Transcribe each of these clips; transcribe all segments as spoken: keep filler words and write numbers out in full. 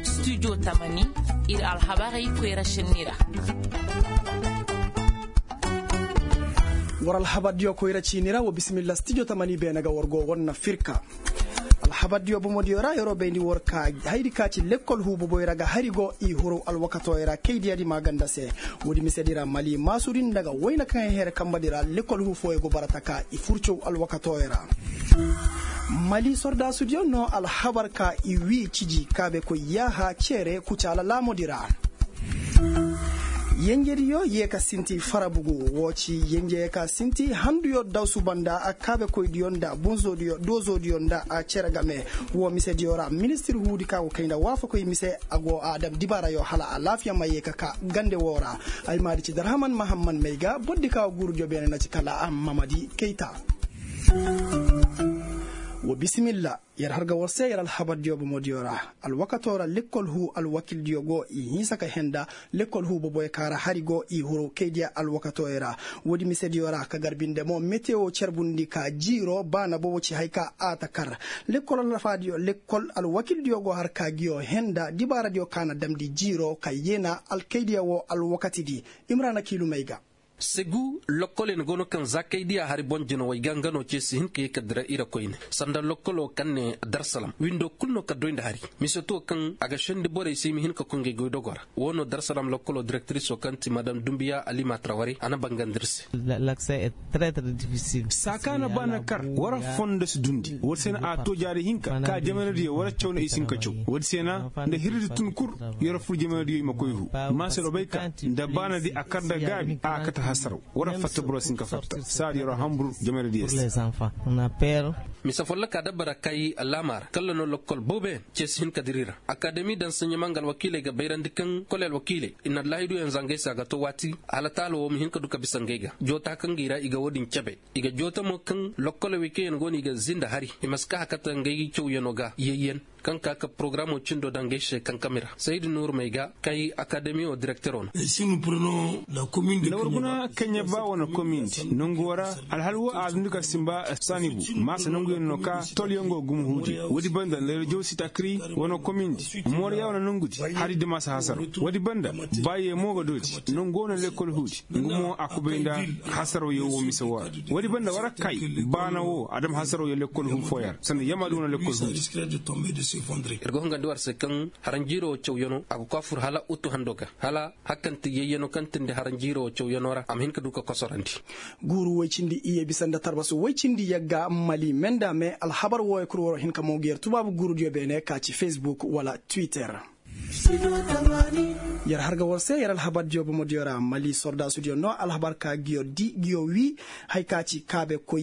Studio tamani, ir alhabarey koyra sinni ra. War alhabardiyo koyra ciini ra wa bisimilla studio tamani beene ga war go war na firka. Alhabardiyo bomodiyo ra yeroo bayndi war ka hayri ka ci lekkol huu boboy ra ga hari go i huru alwakatooyo ra kaydiyadi maaganda se. Woodi misedi ra mali maasudi nda ga wayna kaŋ ay here kambadi ra lekkol huu fooyo go bara taka i furcow alwakatooyo ra. Mali sordaasudiyo no alhabar ka i wii ciji kaabekoy yaaha ceere kucaala laamodi ra. Yenjediyo yee ka sinti farabugu woo ci yenje yee ka sinti handuyo dawsu banda kaabekoydiyo nda bunzoodiyo doozodiyo nda cere game. Woo misediyo ra ministir huudi ka go kay nda waafakoy mise a go a dam dibaarayo hala alaafiya ma yee ka ka gande woo ra. Ay maadi ci darhaman mahamman may ga bordi ka go guurudiyo beene na ci kala a mamadi kayta. Wa bisimilla. Yer har ga war se yer alhabardiyo bomodiyo ra. Alwakatoo ra lekkol huu alwakildiyo go i hinsa ka henda lekkol huu boboyo ka ra hari go i huru kaydiya alwakatooyo ra. Woodi misediyo ra ka gar binde mo metewo carbundi ka jiiro baana bobo ci hay ka a ta kar. Lekkol alwakiildiyo go har ka ngiyo henda dibaaradiyo ka na damndi jiiro ka yeena alkaydiya woo alwakatidi. Imrana kiilumey ga. Segu lokkol yaŋ go no kaŋ za kay diya hari boŋ jinawey ga nga no ce si hin ka ye ka dira ira koyne sanda lokkoloo kaŋ ne darsalam windoo kul no ka doy nda hari. Mise to kaŋ a ga sendi borey se i ma hin ka koy ngey goydogoo ra. Woo no darsalam lokkoloo direktiriso kaŋ ti madam dumbiya alima traware a na bangandi ir se. Saa kaŋ a na ba na kar war fondo si dundi woodi se na a to jaari hinka ka jamanadiyo war caw na i si hin ka caw. Woodi se na nda hirri tun kul yer fur jamanadiyo i ma koy hu. Maasero bay ka nda baanadi a kar nda gaabi a kate hasaraw. War fatta boro si hin ka fatta saadi yer hambur jamanadiyo se. Mise folloka dabara kay laamaara kalla no lokkol booboyaŋ ce si hin ka dira i ra. Akademi daŋ saɲɲama nga alwakiiley ga bayrandi kaŋ kole alwakiiley i na laahiduyaŋ za ngey se a ga to waati hala taala woo ma hin ka du ka bisa ngey ga joota kaŋ ga i ra i ga woodin cebe. I ga joota mo kaŋ lokkoley wey kaŋ yaŋ go no i ga zinda hari i ma si ka hakata ngey cawyanoo ga yayyan kaŋ ka ka porogaramoo cindo daŋ ngey se kankami ra saydi nuurumey ga kay akademi woo direkteroo no. Nda war guna kaŋ ya ba wane komindi nangu woo ra. Alhal woo a dundi ka simba saani bu maasa nanguyaŋ no ka tolyaŋ go gumo huudi woodi banda nda reziyoŋ si takri wane komindi mooriya wane nangudi hari dima si hasara. Woodi banda baaye mo ga doodi nangu woo na lekkol huudi nga mo a kubay nda hasaraw yaŋ woo mise woo ra. Woodi banda war kay baana woo a dam hasaraw yaŋ lekkol huu fooyaŋ ra sanda yamma du wane lekkol huudi. Ir ga hungandi war se kaŋ haranjiiroo cawyanoo a ga koy a fur hala utu hando ga hala hakkanti yayyanoo kaŋ tindi haranjiiroo cawyanoo ra a ma hin ka du ka kosorandi. Guuru woy cindi iyye bisa nda tarbasu woy cindi yagga mali me nda me alhabar wooyo kul waroo hin ka mo ga yer tubaabu guurudiyo beene ka ci fesbuk wala twitter. Yer har ga war se yer alhabardiyo bomodiyo ra mali sordaasudiyo no alhabar ka ngiyo di ngiyo wii. Hay ka ci kaabekoy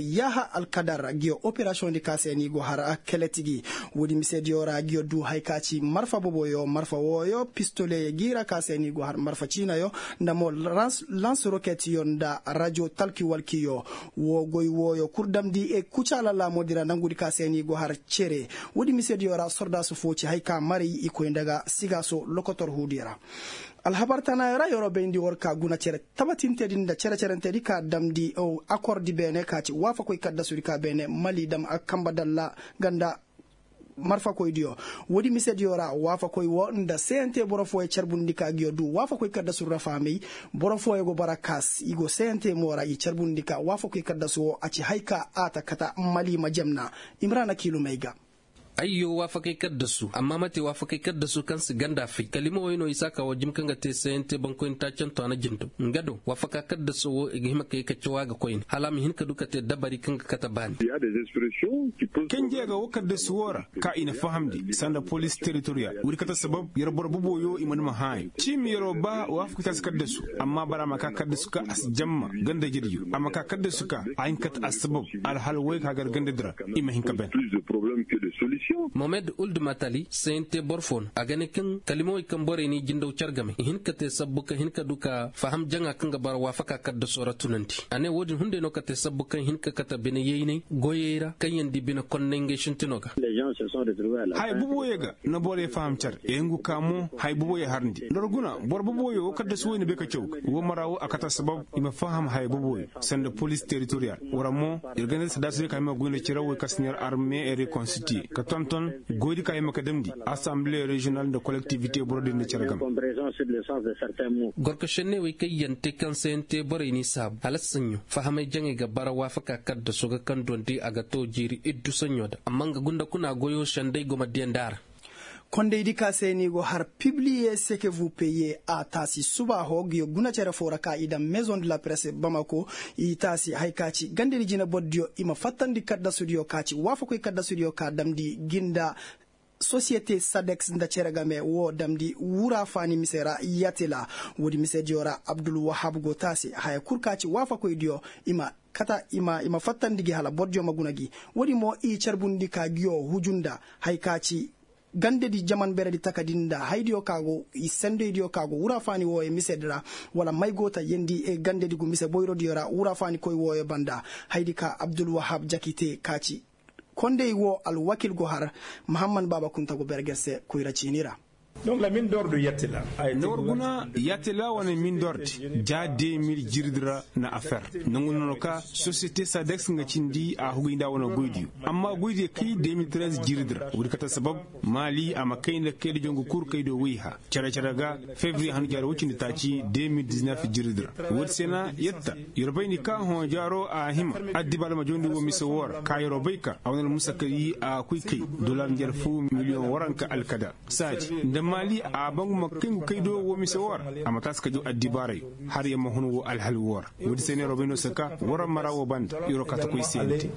yaaha alkadar ngiyo operasiyoŋdi ka se ni go har kele tigi. Woodi misediyo ra ngiyo du hay ka ci marfa boboyo marfa wooyo pistoleyo gi ra ka se ni go har marfa ciinayo nda mo lans roketiyo nda rajo talki walkiyo. Woo goy wooyo kul damndi kucaala laamudi ra nangudi ka se ni go har cere. Woodi misediyo ra sordaasu foo ci hay ka maray i koy nda ga sigaaso lokotor huudiyo ra. Alhabar tanaayo ra yeroo bayndi war ka guna cere tabatintedi nda cere-cerentedi ka damndi akordi beene ka ci waafakoy kaddasudi ka beene mali dam a kamba dalla ganda marfakoydiyo. Woodi misediyo ra waafakoy woo nda seyante boro fooyo carbundi ka ngiyo du waafakoy kaddasudi ra fahamey. Boro fooyo go bara kaas i go seyante mo ra i carbundi ka waafakoy kaddasu woo a ci hay ka a ta kata mali ma jamna. Imrana kiilumey ga. Ayyo waafakey kaddasu amma mate waafakey kaddasu kaŋ si ganda fay kalima wey no i si a ka woo jim kaŋ ga te sayante bankoyni taacanto a na jindo nga do waafaka kaddaso woo i ga hima ka ye ka caw a ga koyne hala a ma hin ka du ka te dabari kaŋ ga kate baani. Kanjey ga woo kaddasu woo ra ka i na fahamndi sanda poliisi teritoriyal woodi kate sabab yer boro boboyo i mana ma hãayo ciimi yeroo ba waafakey kaŋ si kaddasu amma bara a ma ka kaddasu ka a si jamma ganda jediyo a ma ka kaddasu ka a hin ka te assabab alhal wey ka gar gandadi ra. I ma hin ka ben. Mohamed uld matali sayante boro fo no a ga ne kaŋ kalimawey kaŋ borey n'i jindaw care game i hin ka te sabbu ka hin ka du ka faham jaŋa kaŋ ga bara waafaka kaddasoo ra tunandi. A ne wo-din hunday no ka te sabbu kaŋ hin ka kate bine yaynay goyey ra kaŋ yaŋ di bine konnay ngey sintinoo ga. Haya boboyey ga na borey faham care i hungu ka mo haya boboyey harndi nda war guna boro boboyoo kaddasi woy na bay ka caw ga wo mara wo a kate assabab i ma faham haya boboyoo sanda poliis teritoriyal. War mo ir ganda sadaasodiyo ka hima goy nda cere woy kaŋ si ne arme rekonstitiye ka tonton goydi ka hima ka damndi asanbile reziyonal nda kolektivite borodiyo nda cere game. Gorko šenney wey kaŋ yaŋ te kaŋ sayante borey n'i saabu hala saɲɲo fahamay jaŋey ga bara waafaka kaddaso ga kaŋ dondi a ga too jiiri iddu saɲɲo da amma nga gunda kuna goyoo sendey go ma diyandi a ra. Kondaydi ka se ni go har pibliye seke vupe ye a taasi suba ho ga yo guna cere fo ra ka i daŋ maison de la presse bamako. I taasi haya ka ci gandedi jina borodiyo i ma fattandi kaddasudiyo ka ci waafakoy kaddasudiyo ka damndi gi nda sosiyete sadeks nda cere game wo damndi wura faani mise ra yatila. Woodi misediyo ra abdulwahab go taasi haya kul ka ci waafakoydiyo i ma kata i ma fattandi gi hala bordiyo ma guna gi. Woodi mo i carbundi ka giyo huju nda haya ka ci gandedi jaman beredi takadi nda haydiyo ka go i sendoydiyo ka go wura faani wooyo misedi ra wala may go ta yendi gandedi gu mise boyrodiyo ra wura faani koy wooyo banda. Haydi ka abdulwahab jaki te ka ci kondey woo alwakil go har mahamman baaba kunta go berger se koyra ciini ra. Nda war guna yaatila wane mindordi ja de mil jiridi ra na a fer nda ngu nono ka sosiyete sadeks nga cindi a huguy nda a wane goydiyo amma goydiyo kay de mil tirez jiridi ra woodi kate sabab maali a ma kay nda kayda jongu kul kaydo woy ha cere-cere ga fevriye hanu jaari woy cindi taaci de mil diznef jiridi ra. Woodi se na yatta yer bayndi ka hõ jaaro a hima addibaala ma jawndi woo mise woo ra ka yeroo bay ka a wane almusakari a koy kay dolar njer foo miliyoŋ waranka alkada saaji nda maali a bangu ma kay ngu kay do woo mise woo ra. A ma taasi ka jaw addibaarayo har yer ma hun woo alhal woo ra. Woodi se na yeroo bay no se ka war mara woo banda yeroo kaa ta koy se nte.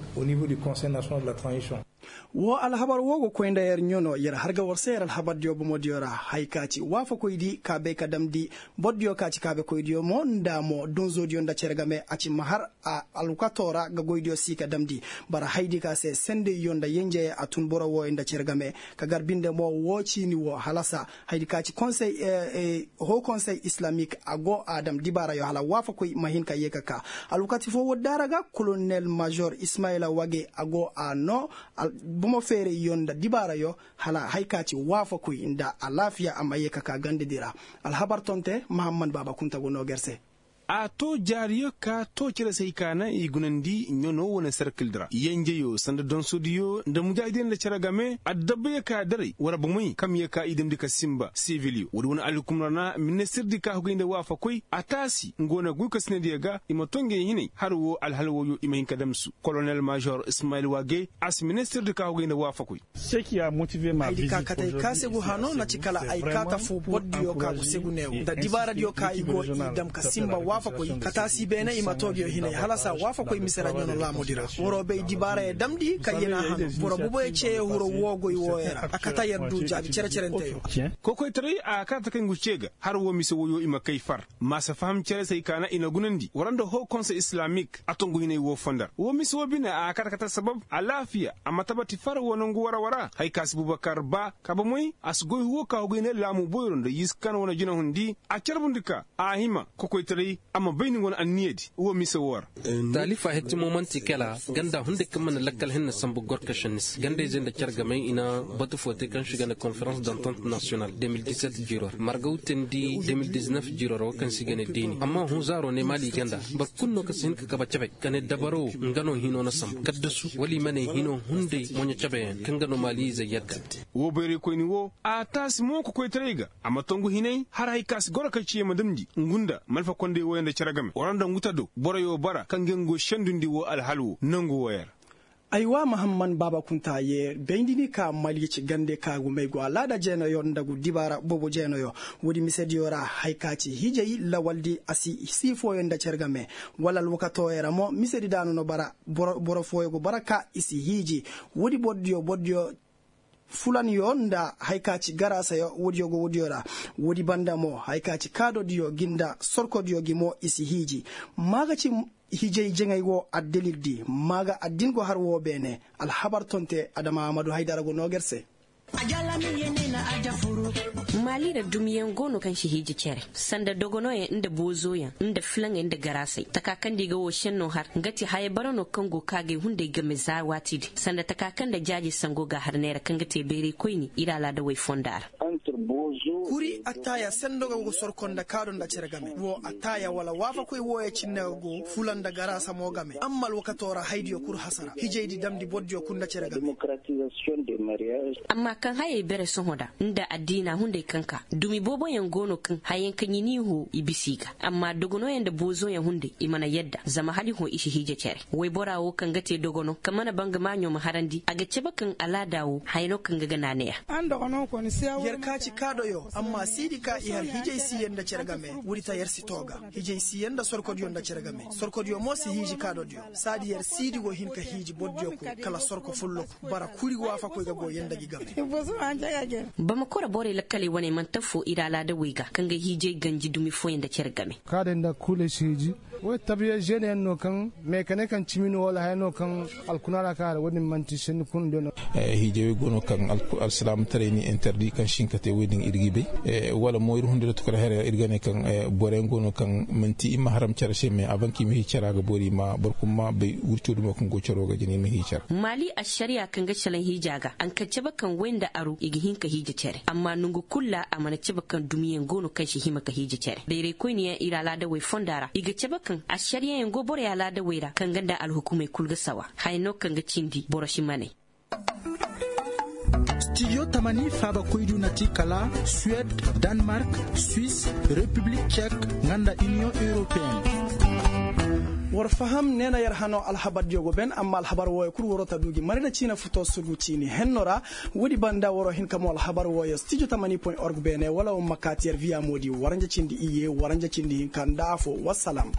Woo alhabar woo go koy nda yer ɲano yer har ga war se yer alhabardiyo bomodiyo ra haya ka ci waafakoydi ka bay ka damndi bordiyo ka ci kaabekoydiyo mo nda mo donzodiyo nda cere game a ci ma har alwakatoo ra ga goydiyo si ka damndi. Bara haydi ka se sendeyyo nda yenjeyey a tun boro wooyo nda cere game ka gar binde mo woo ciini woo halasa haydi ka ci konsey hoo konsey islamik a go a dam dibaarayo hala waafakoy ma hin ka yee ka kaa. Alwakati foo woodi daara ga kolonel mažor ismayila wage a go a noo bomo feerayyo nda dibaarayo hala haya ka ci waafakoy nda alaafiya a ma yee ka kaa gandedi ra. Alhabar tonte mahamman baaba kunta go noo ga yer se. A too jaariyo ka too cere se hay ka na i gunandi ɲanoo wane serkildi ra yenjeyo sanda donsodiyo nda mujaahidey nda cere game addabayo ka daray war bomey kam ye ka i damndi ka sinba sivilyo woodi wane alhukum ra na ministirdi ka hugay nda waafakoy a taasi nga wane goykasinadiyo ga i ma too ngey hinay har woo alhal wooyo i ma hin ka damsu kolonel mažor ismayil wage a si ministirdi ka hugay nda waafakoy. Haydi ka kate ay kaa segu hano na ci kala ay kaa ta foo bordiyo ka go segu neewo nda dibaaradiyo ka i go i dam ka sinba waafakoy ka taasi beene i ma too ngiyo hinay hala saa waafakoy mise ra ɲano laamudi ra. Waroo bay dibaarayo damndi ka yena hano boro boboyo ceeyo hiro woogoy wooyo ra a kate yer du jaabi cere-cerenteyo. Kokoytaray a kaate kay ngu cee ga har woo mise woyo i ma kay far ma si faham cere se ay ka na i na gunandi war nda hoo konse islamik a tongu hinay woo fondar woo mise woo bine a kaate kate sabab alaafiya a ma tabati far woo nongu wara wara. Hay ka si bubakar ba ka bomey a si goy huwo ka huguy ne laamu boyro nda yiskan wane jinahundi a carbundi ka a hima kokoytaray a ma bay ni wane anniyadi woo mise woo ra. Taalifa hettimo man'ti kala ganda hunday kaŋ mana lakkal hinne sambu gorka šenni se gandayzey nda care gamey i na batu foo te kaŋ se i ga ne konferans dantant nasiyonal de mil diset jiiro ra margaw teendi de mil diznef jiiro ra woo kaŋ se i ga ne deeni amma hunzaaro ne maali ganda boro kulu no kaŋ si hin ka kabe cabe ka ne dabaro nga no hino na sambu kaddasu wala i ma ne hino hunday moɲo cabeyaŋ kaŋ ga no maali izey yadda. Woo bayraykoyni woo a taasi mo kokoytaray ga a ma tongu hinay har hay ka si goro ka ciye ma damndi ngu nda malfa kondey wooyaŋ nda cere game war nda ngu ta do boroyo bara kaŋ ga ngu go sendundi woo alhal woo nongu wooyaŋ ra. Aywa mahamman baaba kunta ye bayndini ka maliici gande ka gumey go alaada jeenayo nda gu dibaara boobo jeenayo. Woodi misediyo ra hay ka ci hiijay lawaldi a si sii fooyaŋ nda cere game wala alwakatooyo ra mo misedi daanu no bara boro fooyo go bara ka i si hiiji. Woodi borodiyo borodiyo Fulanyo nda haya ka ci garaasayo woodiyo go woodiyo ra. Woodi banda mo haya ka ci kaadodiyo gi nda sorkodiyo gi mo i si hiiji. Ma ga ci hijay jaŋay wo addalil di ma ga addin go har wo beene. Alhabar tonte adama amadu haydara go noo ga yer se. Maali ra dumiyaŋ go no kaŋ si hiiji cere sanda dogonooyaŋ nda boozoyaŋ nda filaŋey nda garaasey taka kaŋ da i ga woo šennoo har nga te haya bara no kaŋ go ka ga ay hunday game za waati din sanda taka kaŋ nda jaaje sango ga har neera kaŋ ga te bayray koyni ir alaadawey fonda ra. Kuri attaaya sendo ga go sorko nda kaado nda cere game woo attaaya wala waafakoy wooyo cinne ga go fula nda garaasa mo game amma alwakatoo ra haydiyo kul hasara hijaydi damndi bordiyo kul nda cere game. Amma kaŋ hayey bere sohõ da nda addiina hunday kaŋ ka dumi booboyaŋ go no kaŋ hayaŋ kaŋ i n'i hoo i bisa i ga amma dogonooyaŋ nda boozoyaŋ hunday i mana yadda zama hala i hõ i si hiija cere. Woybora wo kaŋ ga te dogono kaŋ mana bangamaɲo ma harandi a ga cabe kaŋ alaada wo haya no kaŋ ga ga naanaya. Yer ka ci kaadoyo amma siidi ka i har hijay siiyaŋ nda cere game. Woodi ta yer si too ga hijay siiyaŋ nda sorkodiyo nda cere game sorkodiyo mo si hiiji kaadodiyo. Saadi yer siidi go hin ka hiiji bordiyo kul kala sorko folloku bara kuri waafakoy ga go yanda gi game. Bamakora borey lakkaley wane manti affoo ir alaadawey ga kaŋ ga hiijay ganji dumi fooyaŋ nda cere game. Kaadey nda kuuley si hiiji. Wey tabiya žeeneyaŋ no kaŋ meekane kaŋ cimi no wala haya no kaŋ alkuna ra kaŋ a ra wo-din manti senni kuna de no. Hiijawey go no kaŋ alsilaamataray ni interdi kaŋ si hin ka te wo-din ir g'i bay. Wala mo ir hunde ra tukar haya ra ir ga ne kaŋ boroyaŋ go no kaŋ manti i ma haram care se me a ban ka i ma hii cara ga boori ma boro kulu ma bay wurco dumo kaŋ go caro ga jina i ma hii cara. Maali ašariya kaŋ ga salaŋ hiija ga a na ka cabe kaŋ way nda aro i ga hin ka hiija care amma nangu kulu ra a mana cabe kaŋ dumiyaŋ go no kaŋ si hima ka hiija care bayraykoyniyaŋ ir alaadawey fonda ra i ga cabe kaŋ ašariyayaŋ go borey alaadawey ra kaŋ ga nda alhukumey kulu ga sawa haya no kaŋ ga cindi boro si maney. Stijo tamani faabakoydu na ti kala suwed, danmark, swis, repiblik cek, nga nda iniyoŋ europeyen. War faham neena yer hano alhabardiyo go ben amma alhabar wooyo kul waroo ta du gi mari nda ciina futo sugu ciini henno ra. Woodi banda waroo hin ka moo alhabar wooyo stijo tamani point org beene wala war ma kaati yer viya moodi waranja cindi iyye waranja cindi hinka nda afoo wassalam.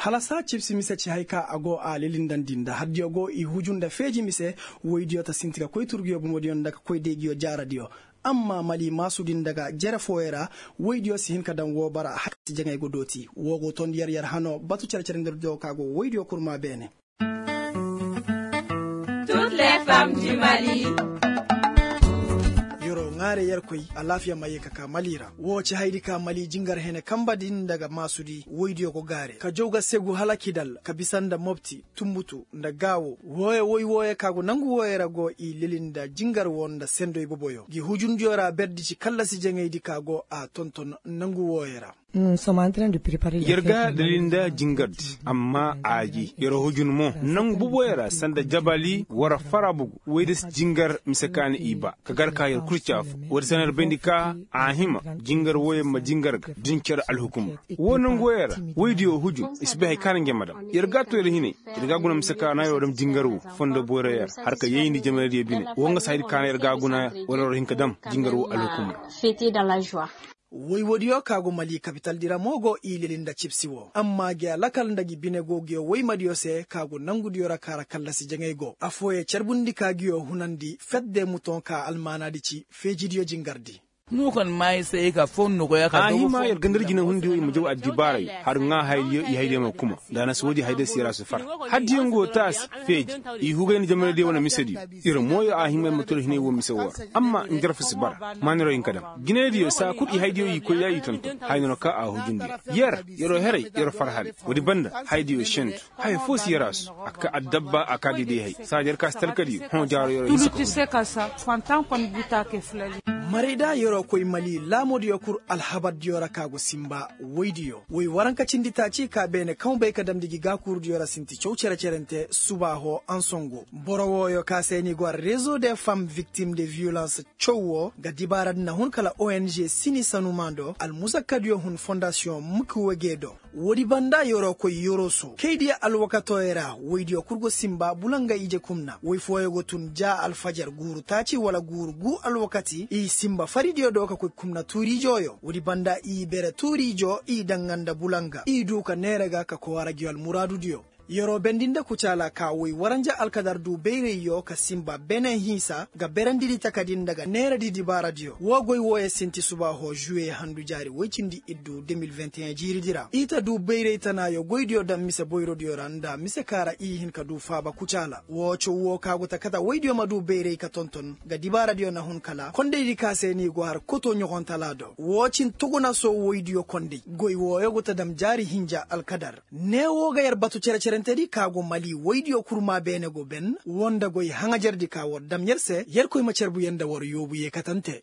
Hala saa cibsi mise ci hay ka a go a lilindandi nda hardiyo go i huju nda feeji mise. Woydiyo ta sinti ka koy turguyo bomodiyo nda ka koy day nguyo jaaradiyo. Amma mali maasudi nda ga jere fooyo ra woydiyo si hin ka daŋ woo bara hala si jaŋay go dooti woo go tondi yer yer hano batu cere-cerendirdiyo ka go woydiyo kurma beene. Yeroo ŋaare yerkoy alaafiya ma ye ka ka mali ra woo ci haydi ka mali jingar hene kamba din nda ga maasudi woydiyo go gaare ka jaw ga segu hala kidal ka bisa nda mopti tumbutu nda gaawo wooyo woy wooyo ka go nangu wooyo ra go i lili nda jingar woo nda sendo iboboyo ngi hujundiyo ra berdi ci kallasi jaŋaydi ka go a tonton nangu wooyo ra. Yer ga dalil nda jingardi amma a gi yer hujun mo nangu boboyo ra sanda jabali wara farabugu woy da si jingar mise kaani i ba ka gar ka yer kul ci afo woy da si na yer bayndi ka a hima jingar woy ma jingar ga din cer alhukum. Wo nangu woy ra woy diyo hujun i si bay hay kaani nge ma dam yer ga to yer hinay yer ga guna mise kaana yer wa dam jingar wo fondo boyra yer har ka yayndi jamanay diyo bine wo nga si hay di kaana yer ga guna wala yer wa hin ka dam jingar wo alhukum ra. Woy woodiyo ka go mali kapitaldi ra mo go i lili nda cibsi wo amma gi alakal nda gi bine go nguyo woymadiyo se ka go nangudiyo ra ka ra kallasi jaŋay go afooyo carbundi ka nguyo hunandi fetde muton ka almaanaadi ci feejidiyo jingardi. A hima yer gandar jinahundiyo i ma jaw addibaarayo har ŋaa hayadiyo i hayadiyo ma kuma nda a na si woodi hayadiyo si yer a si far. Haddiyaŋ go taasi feeji i hugay nda jamanaydiyo wane misediyo. Yer mooyo a hima yer ma tula hinay woo mise woo ra amma njarfu si bara maaniroo hin ka dam jinaydiyo saa kul i hayadiyo i koy ya i tonton haya no na ka a hujundi yer. Yeroo heray yeroo far haray woodi banda hayadiyo sentu haya foo si yer a su a ka addabba a ka diiday hay saa da yer ka si talkadiyo hõ jaaro yeroo hinsa ka huru. Marayda yeroo koy mali laamoodiyo kul alhabardiyo ra ka go sinba woydiyo woy waranka cindi taaci ka beene kaŋ bay ka damndi gi gaakuurudiyo ra sinti caw cere-cerente suba hõ ansongo boro wooyo ka se ni go a rezo de fam viktim de viyolans caw wo ga dibaaradi na hun kala ong sini sanumaando almusakkadiyo hun fondasiyoŋ mukwegedo. Woodi banda yeroo koy yeroo soo kaydiyo alwakatooyo ra woydiyo kul go sinba bulanga ije kumna woy fooyo go tun ja alfajar guuru taaci wala guuru guu alwakati i sinba faridiyo do ka koy kumna tuuriijooyo woodi banda i bere tuuriijoo i daŋa nda bulanga i duu ka neera ga ka kowaara ngi almuraadudiyo. Yeroo bendi nda kucaala ka woy waranja alkadar duu bayrayyo ka sinba bene hinsa ga berendidi takadi nda ga neeradi dibaaradiyo woo goy wooyo sinti subaaho žuwe handu jaari woy cindi iddu de mil vingt et un jiiridi ra i ta duu bayray tanaayo goydiyo daŋ mise boyrodiyo ra nda mise ka ra i hin ka duu faaba kucaala woo caw woo ka go ta kate woydiyo ma duu bayray ka tonton ga dibaaradiyo na hun kala kondaydi ka se ni go har koto ɲogontalaa do woo cin tuguna soo woydiyo konday goy wooyo go ta dam jaari hinja alkadar. Ne woo ga yer batu cere-cerentedi ka go mali woydiyo kurmaa beene go ben woo nda goy haŋajerdi ka war dam yer se yerkoy ma cerbu yer nda war yoobu yeekatante.